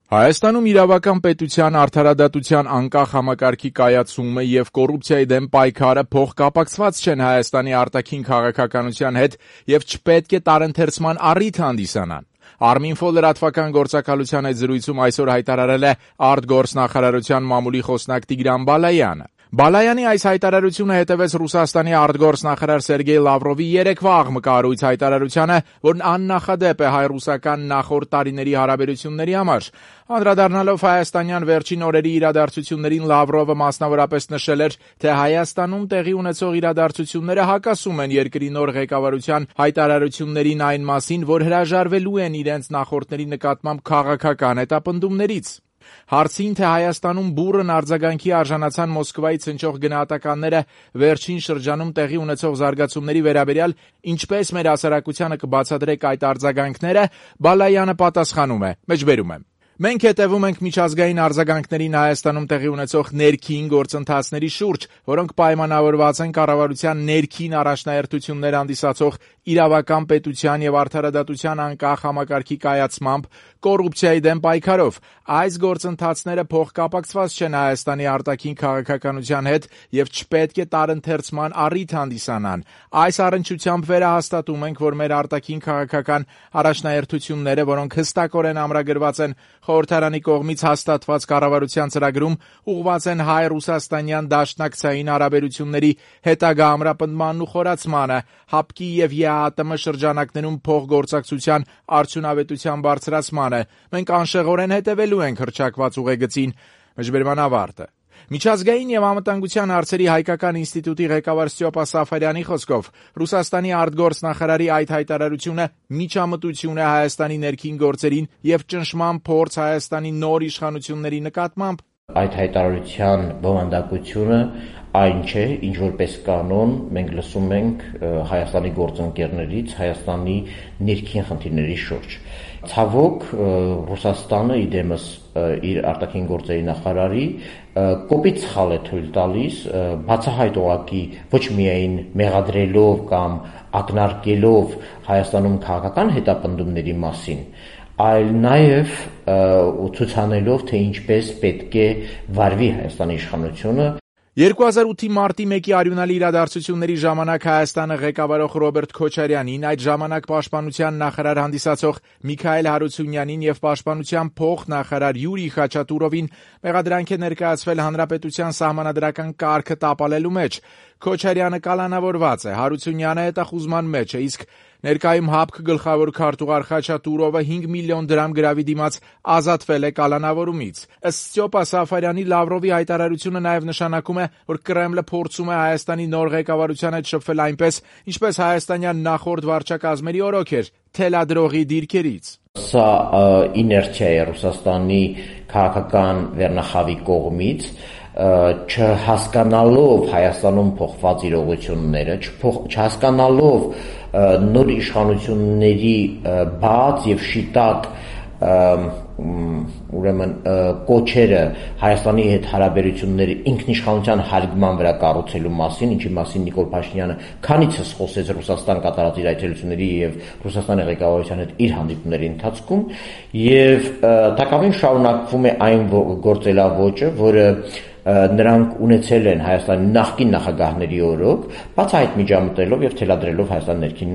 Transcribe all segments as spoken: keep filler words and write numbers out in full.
Հայաստանում իրավական պետության արդարադատության անկախ համակարգի կայացումը եւ կոռուպցիայի դեմ պայքարը փոխկապակցված չեն Հայաստանի արտաքին քաղաքականության հետ եւ չպետք է տարընթերցման առիթ հանդիսանան։ Arminfo լրատվական գործակալության այդ զրույցում այսօր հայտարարել է արտգործնախարարության մամուլի խոսնակ Տիգրան Բալայանը։ Բալայանի այս հայտարարությունը հետևեց Ռուսաստանի արտգործնախարար Սերգեյ Լավրովի երեկվա աղմկահարույց հայտարարությանը, որն աննախադեպ է հայ-ռուսական նախորդ տարիների հարաբերությունների համար։ Անդրադառնալով հայաստանյան վերջին օրերի իրադարձություններին Լավրովը մասնավորապես նշել էր, թե Հայաստանում տեղի ունեցող իրադարձությունները հակասում են երկրի նոր ղեկավարության հայտարարություններին այն մասին, որ հրաժարվելու են իրենց նախորդների նկատմամբ քաղաքական հետապնդումներից։ Հարցին, թե Հայաստանում բուռն արձագանքի արժանացան Մոսկվայից հնչող գնահատականները վերջին շրջանում տեղի ունեցող զարգացումների վերաբերյալ, ինչպես մեր հասարակությանը կբացատրեք այդ արձագանքները, Բալայանը պատասխանում է. Մեջբերում եմ. Մենք հետևում ենք միջազգային արձագանքներին Հայաստանում տեղի ունեցող ներքին գործընթացների շուրջ, որոնք պայմանավորված են կառավարության ներքին առաջնահերթություններ հանդիսացող իրավական պետության եւ արդարադատության անկախ համակարգի կայացմամբ, կոռուպցիայի դեմ պայքարով։ Այս գործընթացները փոխկապակցված չեն Հայաստանի արտաքին քաղաքականության հետ եւ չպետք է տարընթերցման առիթ հանդիսանան։ Այս առնչությամբ վերահաստատում ենք, որ մեր արտաքին քաղաքական առաջնահերթությունները, որոնք հստակորեն ամրագրված են Խորհրդարանի կողմից հաստատված կառավարության ծրագրում, ուղղված են հայ-ռուսաստանյան դաշնակցային հարաբերությունների հետագա ամրապնդմանն ու խորացմանը, ՀԱՊԿ-ի եւ ԵԱՏՄ շրջանակներում փոխգործակցության արդյունավետության բարձրացմանը։ Մենք անշեղորեն հետևելու ենք հռչակված ուղեգծին։ Մեջբերման ավարտը։ Միջազգային եւ անվտանգության հարցերի հայկական ինստիտուտի ղեկավար Ստյոպա Սաֆարյանի խոսքով Ռուսաստանի արտգործնախարարի այդ հայտարարությունը միջամտություն է Հայաստանի ներքին գործերին եւ ճնշման փորձ Հայաստանի նոր իշխանությունների նկատմամբ։ Այդ հայտարարության բովանդակությունը այն չէ, ինչ որպես կանոն մենք լսում ենք Հայաստանի գործընկերներից Հայաստանի ներքին խնդիրների շուրջ։ Ցավոք, Ռուսաստանը իդեմս իր արտաքին գործերի նախարարի կոպիտ սխալ է թույլ տալիս բացահայտ ուղղակի ոչ միայն մեղադրելով կամ ակնարկելով Հայաստանում քաղաքական հետապնդումների մասին, այլ նաև ցուցանելով, թե ինչպես պետք է վարվի Հայաստանի իշխանությունը։ երկու հազար ութի մարտի մեկի արյունալի իրադարձությունների ժամանակ Հայաստանը ղեկավարող Ռոբերտ Քոչարյանին, այդ ժամանակ պաշտպանության նախարար հանդիսացող Միքայել Հարությունյանին եւ պաշտպանության փոխնախարար Յուրի Խաչատուրովին մեղադրանք է ներկայացվել հանրապետության սահմանադրական կարգը տապալելու մեջ։ Քոչարյանը կալանավորված է, Հարությունյանը հետախուզման մեջ է, իսկ ներկայում ՀԱՊԿ գլխավոր քարտուղար Խաչատուրովը հինգ միլիոն դրամ գրավի դիմաց ազատվել է կալանավորումից։ Ըստ Ստյոպա Սաֆարյանի, Լավրովի հայտարարությունը նաև նշանակում է, որ Կրեմլը փորձում է Հայաստանի նոր ղեկավարության հետ շփվել այնպես, ինչպես հայաստանյան նախորդ վարչակազմերի օրոք էր, թելադրողի դիրքերից։ Սա իներցիա է Ռուսաստանի քաղաքական վերնախավի կողմից, չհասկանալով Հայաստանում փոխված իրողությունները, չհասկանալով նոր իշխանությունների բաց եւ շիտակ ուրեմն կոչերը Հայաստանի հետ հարաբերությունների ինքնիշխանության հարգման վրա կառուցելու մասին, ինչի մասին Նիկոլ Փաշինյանը քանիցս խոսեց Ռուսաստան կատարած իր այցելությունների եւ Ռուսաստանի ղեկավարության հետ իր հանդիպումների ընթացքում, եւ տակավին շարունակվում է այն գործելավոճը, որը նրանք ունեցել են Հայաստանի նախկին նախագահների օրոք, բացահայտ միջամտելով եւ թելադրելով Հայաստանի ներքին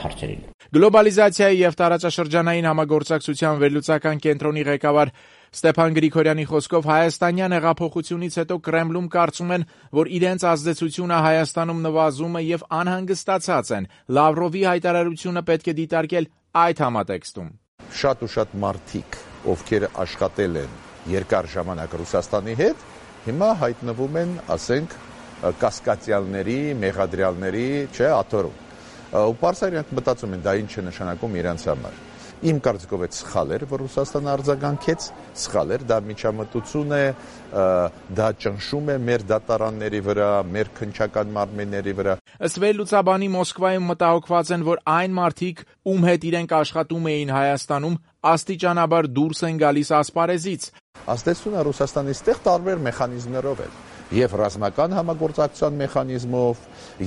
հարցերին։ Գլոբալիզացիայի եւ տարածաշրջանային համագործակցության վերլուծական կենտրոնի ղեկավար Ստեփան Գրիգորյանի խոսքով հայաստանյան հեղափոխությունից հետո Կրեմլում կարծում են, որ իրենց ազդեցությունը Հայաստանում նվազում է եւ անհանգստացած են։ Լավրովի հայտարարությունը պետք է դիտարկել այդ համատեքստում։ Շատ ու շատ մարդիկ, ովքեր աշխատել են երկար ժամանակ Ռուսաստանի հետ, հիմա հայտնվում են, ասենք, կասկածյալների, մեղադրյալների, չէ, աթոռում։ Ու պարզապես իրենք մտածում են, դա ինչ է նշանակում իրենց համար։ Իմ կարծիքով այդ սխալ էր, որ Ռուսաստանը արձագանքեց, սխալ էր, դա միջամտություն է, դա ճնշում է մեր դատարանների վրա, մեր քննչական մարմինների վրա։ Ըստ վերլուծաբանի Մոսկվայում մտահոգված են, որ այն մարդիկ, ում հետ իրենք աշխատում էին Հայաստանում, աստիճանաբար դուրս են գալիս ասպարեզից։ Ազդեցությունը Ռուսաստանի ստեղ տարբեր մեխանիզմներով է, եւ ռազմական համագործակցության մեխանիզմով,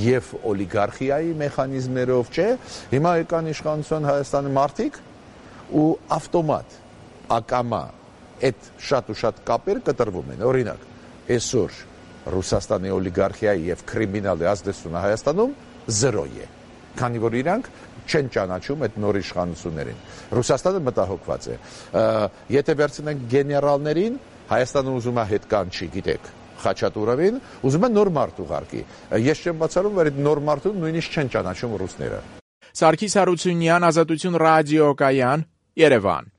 եւ օլիգարխիայի մեխանիզմներով, չէ։ Հիմա եկան իշխանության Հայաստանի մարդիկ ու ավտոմատ, ակամա այդ շատ ու շատ կապեր կտրվում են։ Օրինակ, այսօր Ռուսաստանի օլիգարխիայի եւ կրիմինալի ազդեցությունը Հայաստանում զրո է, քանի որ իրանք չեն ճանաչում այդ նոր իշխանություններին։ Ռուսաստանը մտահոգված է։ Եթե վերցնենք գեներալներին, Հայաստանը ուզում է հետ կանչի, գիտեք, Խաչատուրովին, ուզում է նոր մարդ ուղարկի։ Ես չեմ բացառում, որ այդ նոր մարդուն նույնիսկ չեն ճանաչում ռուսները։ Սարգիս Հարությունյան, Ազատություն ռադիոկայան, Երևան։